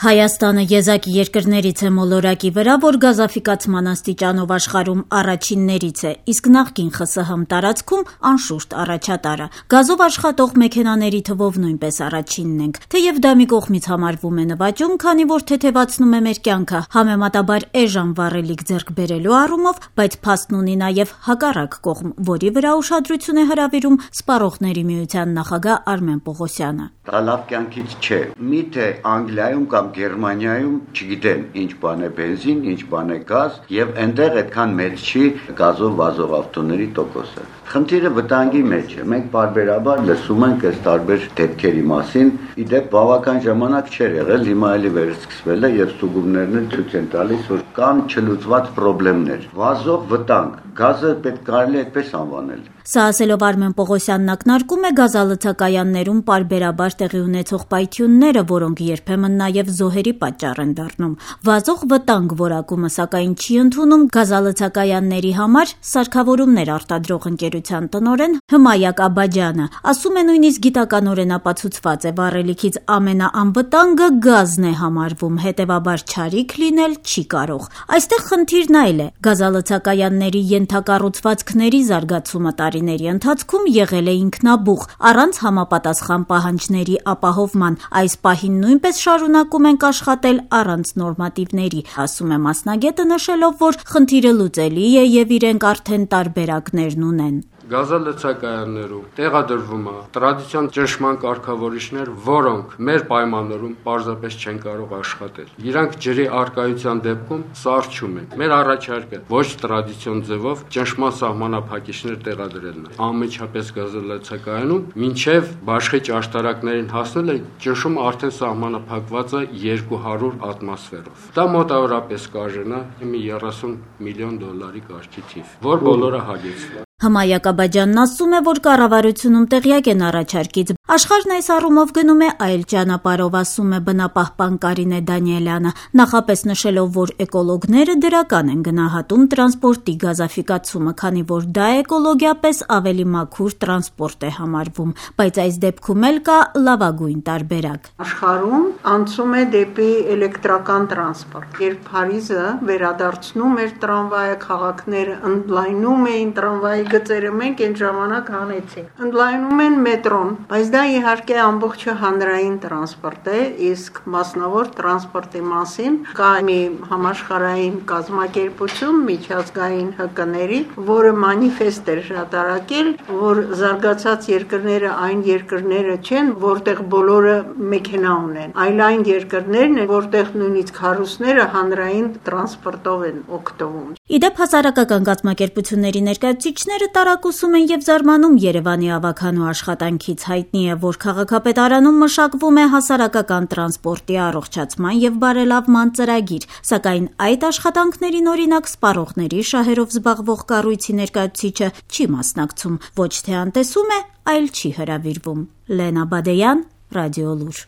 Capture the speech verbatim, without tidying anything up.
Հայաստանը եզակի երկրներից է մոլորակի վրա, որ գազաֆիկացման աստիճանով աշխարհում առաջիններից է, իսկ նախկին ԽՍՀՄ տարածքում անշուշտ առաջատարը։ Գազով աշխատող մեքենաների թվով նույնպես առաջինն ենք, թեև դա մի կողմից համարվում է նվաճում, քանի որ թեթևացնում է մեր կյանքը, համեմատաբար էժան վառելիք ձեռք բերելու առումով, բայց փաստն ունի նաև հակառակ կողմ, որի վրա ուշադրություն է հրավիրում Սպառողների միության նախագահ Արմեն Պողոսյանը։ Դա լավ կյանքից չէ։ Միթե Անգլիայում կամ Գերմանիայում չգիտեն ինչ բան է բենզին, ինչ բան է գազ, եւ այնտեղ այդքան մեծ չի գազով վազող ավտոների տոկոսը։ Խնդիրը վտանգի մեջ է։ Մենք բարբերաբար լսում ենք այս տարբեր դեպքերի մասին, իդեպ բավական ժամանակ չէր եղել, հիմա էլի վերսկսվել է եւ ստուգումներն են ցույց են տալիս, որ կան չլուծված խնդիրներ։ Վազող վտանգ, գազը պետք կարելի է այդպես անվանել։ Սա ասելով Արմեն Պողոսյանն ակնարկում է գազալցակայաններում պարբերաբար տեղի ունեցող պայթյունները, որոնք երբեմն նաև զոհերի պատճառ են դառնում։ Վազող վտանգ որակումը սակայն չի ընդունում գազալցակայանների համար սարքավորումներ արտադրող ընկերության տնօրեն Հմայակ Աբաջյանը, ասում է նույնիսկ գիտականորեն ապացուցված է վառելիքից ամենաանվտանգը գազն է համարվում, հետևաբար չարիք լինել չի կարող։ Այստեղ խնդիրն այլ է։ Գազալցակայանների ենթակառուցվածքների զարգացումը տարիների ընթացքում եղել է ինքնաբուխ, առանց համապատասխան պահանջների ապահովման, այս պահին նույնպես շարունակում ենք աշխատել առանց նորմատիվների, ասում է մասնագետը, նշելով, որ խնդիրը լուծելի է եւ իրենք արդեն տարբերակներն ունեն։ Գազալցակայաններում տեղադրվում է տրադիցիոն ճնշման կարգավորիչներ, որոնք մեր պայմաններում պարզապես չեն կարող աշխատել։ Իրանք ջրի արկայության դեպքում սառչում են։ Մեր առաջարկը ոչ տրադիցիոն ձևով ճնշման սահմանափակիչներ տեղադրելն է։ Անմիջապես գազալցակայանում մինչև բաշխիչ աշտարակներին հասնել է ճնշումը արդեն սահմանափակված է երկու հարյուր ատմոսֆերով։ Դա մոտավորապես կարժենա մի երեսուն միլիոն դոլարի կարգի թիվ, որ բոլորը հագեցվում։ Հմայակ Աբաջյանն ասում է, որ կառավարությունում տեղյակ են առաջարկից։ Աշխարհն այս առումով գնում է այլ ճանապարհով, ասում է բնապահպան Կարինե Դանիելյանը, նախապես նշելով, որ էկոլոգները դրական են գնահատում տրանսպորտի գազաֆիկացումը, քանի որ դա էկոլոգիապես ավելի մաքուր տրանսպորտ է համարվում, բայց այս դեպքում էլ կա լավագույն տարբերակ։ Աշխարհում անցում է դեպի էլեկտրական տրանսպորտ։ Երբ Փարիզը վերադարձնում էր տրամվայը, քաղաքները ընդլայնում էին տրամվայի գծերը, մենք այն ժամանակ հանեցինք։ Ընդլայնում են մետրոն, բայց դա իհարկե ամբողջը հանրային տրանսպորտ է, իսկ մասնավոր տրանսպորտի մասին կա մի համաշխարհային կազմակերպություն միջազգային ՀԿ-ների, որը մանիֆեստ էր հրատարակել, որ զարգացած երկրները այն երկրները չեն, որտեղ բոլորը մեքենա ունեն, այլ այն երկրներն են, որտեղ նույնիսկ հարուստները հանրային տրանսպորտով են օգտվում։ Իդեպ հասարակական կազմակերպությունների ներկայացուցիչները տարակուսում են եւ զարմանում Երևանի ավագանու աշխատանքից։ Հայտնի է, որ քաղաքապետարանում մշակվում է հասարակական տրանսպորտի առողջացման եւ բարելավման ծրագիր, սակայն այդ աշխատանքներին օրինակ սպառողների շահերով զբաղվող կառույցի ներկայացուցիչը չի մասնակցում, ոչ թե անտեսում է, այլ չի հրավիրվում։ Լենա Բադեյան, Ռադիոլուր։